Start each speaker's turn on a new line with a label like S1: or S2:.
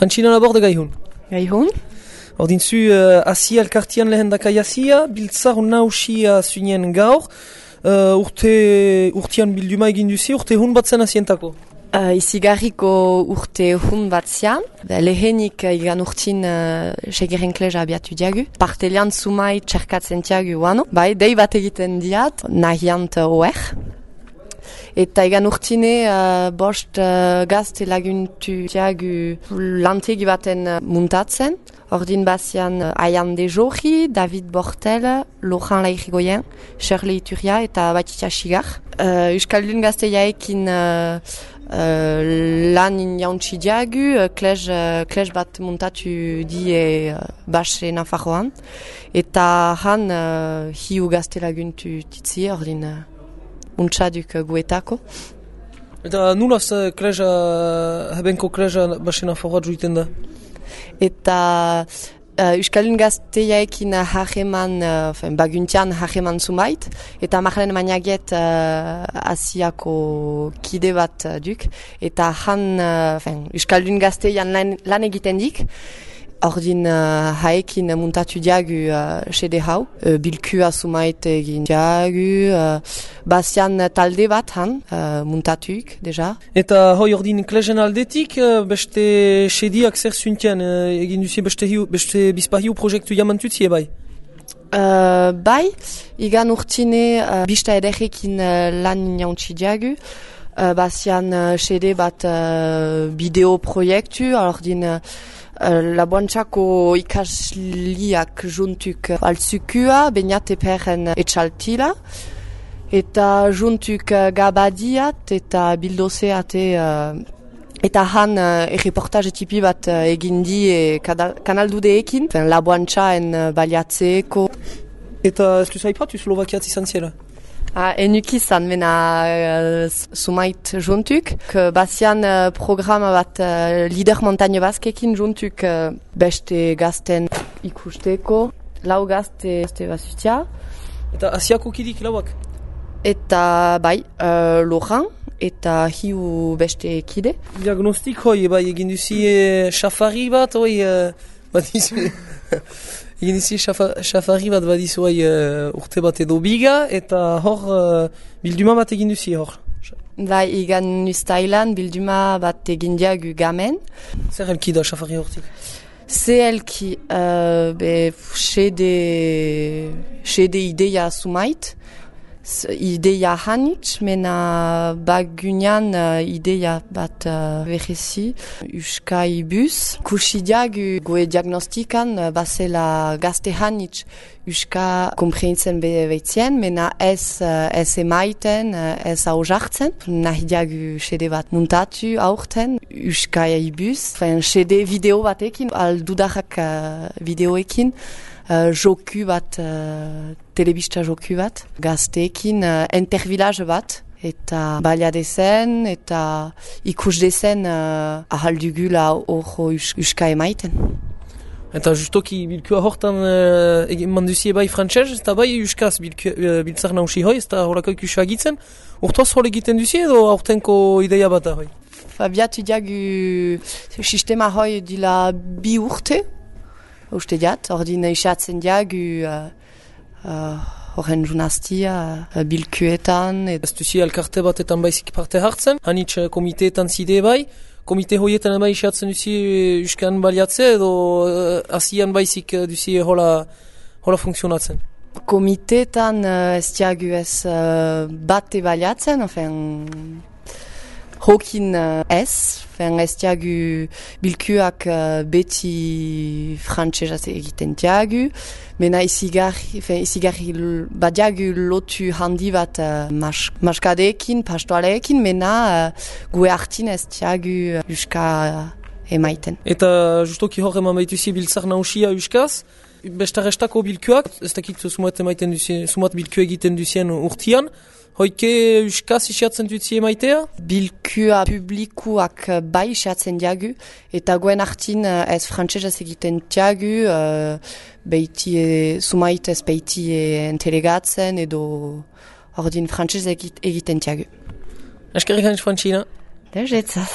S1: Frantxina laborde gaihun.
S2: Gaihun?
S1: Ordin zu Asia elkartian lehen dakai Asia, biltzar nausia zunien gaur, urtean bilduma egin duzi, urte hun bat zen asientako.
S2: Izigarriko urte hun bat zian, lehenik igan urtin segeren kleja abiatu diagu. Partelian sumai txerkatzen diagu wano, bai, dei bat egiten diat, nahiant oer. Eta egan urtine bost gazte laguntu diagu lantegi baten muntatzen. Ordin bazian Aian de Jorri, David Bortel, Laurent Lairigoyen, Shirley Ituria eta Batitza Sigar. Euskaldun gazteiaekin lan injauntzi diagu, klej bat muntatu die base Nafarroan. Eta han hiu gazte laguntu titzi, ordin untxaduk guetako.
S1: Eta nulaz hebenko kleja base Nafarroa juiten da?
S2: Eta Euskaldun gazteiaekin hageman, baguntian hageman zumait, eta Marlene Magnaget Asiako kide bat duk, eta han Euskaldun gazteian lan egiten dik, ordin haekin muntatu diagu sede hau, bilkua zumait egin diagu, bazian talde bat han, muntatuik, deja.
S1: Eta hoi ordin klejen aldetik, beste sediak zer zuntian egin duzi beste bizpahiu proiektu jamantutzie bai?
S2: Bai, igan urtine bista ederrekin lan jauntzi diagu, bazian sede bat bideo proiektu, ordin Laboantzako ikasliak juntuk altzukua, Beñate Perren etxaltila, eta juntuk gabadiat eta bildozeate eta han reportaje tipi bat egindi kanaldudeekin, Laboantzaen baliatzeeko.
S1: Eta ez du zaipatu Slovakiat izan ziela?
S2: Enuk izan, mena sumait juntuk. Bazian programa bat Lider Montagne Baskekin juntuk beste gazten ikusteko. Lau gazte bazutia.
S1: Eta Asiako kidik lauak?
S2: Eta bai, Laurent eta hiu beste kide.
S1: Diagnostik hoi, bai, egin duzi xafari bat, hoi, bat izu... Egin dizi xafari bat badizu urte bat edo biga, eta hor bilduma bat egin duzi hor.
S2: Bai, igan ustailan bilduma bat egin diagu gamen.
S1: Zer helki da xafari hortik?
S2: Ze helki, sede ideia sumait, ideia hanitz, mena bagunean ideia bat berezi, uskai bus. Kusi diagu goe diagnostikan basela gazte hanitz uska komprenitzen behitzen, mena ez emaiten, ez haujartzen. Nahi diagu sede bat muntatu aurten, uskai bus. Sede video batekin, aldudarrak videoekin. Joku bat, telebista joku bat, gazteekin, intervillage bat, eta baliadezen, eta ikusdezen ahaldugula horro uska emaiten.
S1: Eta justoki bilkua hortan egin manduzie bai frantxez, eta bai uskaz biltzar nausi hoi, ez da horako ikusua egitzen. Urtoz hor egiten duzie edo aurtenko ideia bat da hoi?
S2: Biatu diagu sistema hoi dila bi urte, uste diat, ordin isatzen diagu horren junaztia bilkuetan.
S1: Ez duzi elkarte batetan baizik parte hartzen, hanitz komiteetan zide bai, komite hoietan bai isatzen duzi uskan baliatze edo asian baizik duzi hola funtzionatzen?
S2: Komiteetan ez diagu ez bate baliatzen, hokin ez diagu bilkuak beti frantxezaz egiten diagu, mena izigarri badiagu lotu handi bat maskadeekin, pastoaleekin, mena gue hartin ez diagu uska emaiten.
S1: Eta justoki hor eman baituzi biltzar nausia uskaz, bestarestako bilkuak, ez dakit sumat bilku egiten duzien urtian, hoike uskaz isiatzen dutzi emaitea?
S2: Bilkua publikuak bai isiatzen diagu, eta goen hartin ez frantxezaz egiten diagu, sumait ez beiti entelegatzen edo ordin frantxez egiten diagu.
S1: Eskerrik hanitz Frantxina.
S2: Dejetzaz.